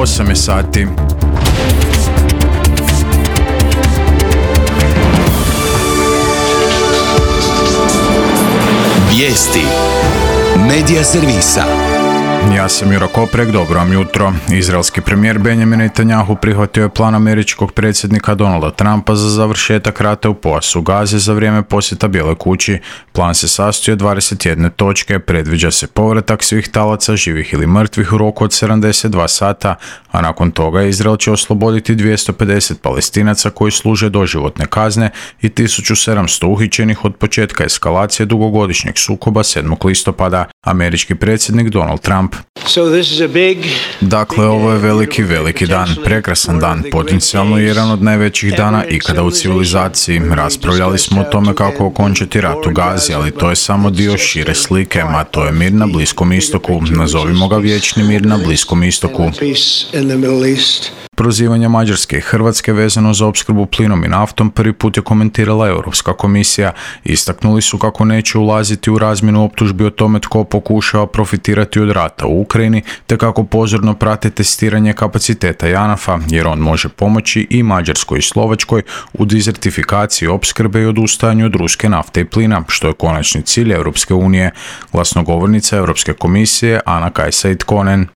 8 je sati. Vijesti Medija servisa. Ja sam Juro Koprek, dobro vam jutro. Izraelski premijer Benjamin Netanjahu prihvatio je plan američkog predsjednika Donalda Trumpa za završetak rata u pojasu Gaze za vrijeme posjeta Bijeloj kući. Plan se sastoji od 21 točke, predviđa se povratak svih talaca, živih ili mrtvih u roku od 72 sata, a nakon toga Izrael će osloboditi 250 Palestinaca koji služe doživotne kazne i 1700 uhićenih od početka eskalacije dugogodišnjeg sukoba 7. listopada. Američki predsjednik Donald Trump. Dakle, ovo je veliki dan, prekrasan dan, potencijalno jedan od najvećih dana ikada u civilizaciji. Raspravljali smo o tome kako okončati rat u Gazi, ali to je samo dio šire slike, a to je mir na Bliskom istoku. Nazovimo ga vječni mir na Bliskom istoku. Prozivanja Mađarske i Hrvatske vezano za opskrbu plinom i naftom prvi put je komentirala Europska komisija. Istaknuli su kako neće ulaziti u razmjenu optužbi o tome tko pokušava profitirati od rata u Ukrajini, te kako pozorno prate testiranje kapaciteta JANAF-a, jer on može pomoći i Mađarskoj i Slovačkoj u dizertifikaciji opskrbe i odustajanju od ruske nafte i plina, što je konačni cilj Europske unije. Glasnogovornica Europske komisije Ana Kajsa Itkonen.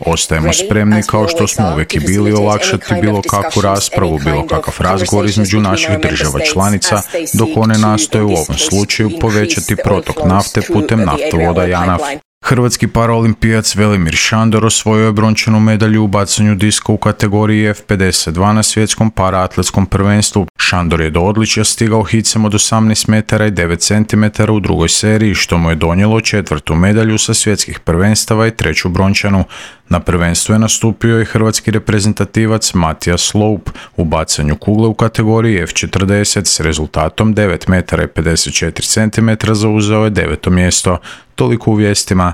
Ostajemo spremni kao što smo uvijek i bili olakšati bilo kakvu raspravu, bilo kakav razgovor između naših država članica, dok one nastoje u ovom slučaju povećati protok nafte putem naftovoda JANAF. Hrvatski paraolimpijac Velimir Šandor osvojio je brončanu medalju u bacanju diska u kategoriji F52 na svjetskom paraatletskom prvenstvu. Šandor je do odličja stigao hicem od 18 metara i 9 cm u drugoj seriji, što mu je donijelo 4. medalju sa svjetskih prvenstava i 3. brončanu. Na prvenstvu je nastupio i hrvatski reprezentativac Matija Sloup u bacanju kugle u kategoriji F40 s rezultatom 9 metara i 54 cm zauzeo je 9. mjesto. Toliko u vijestima.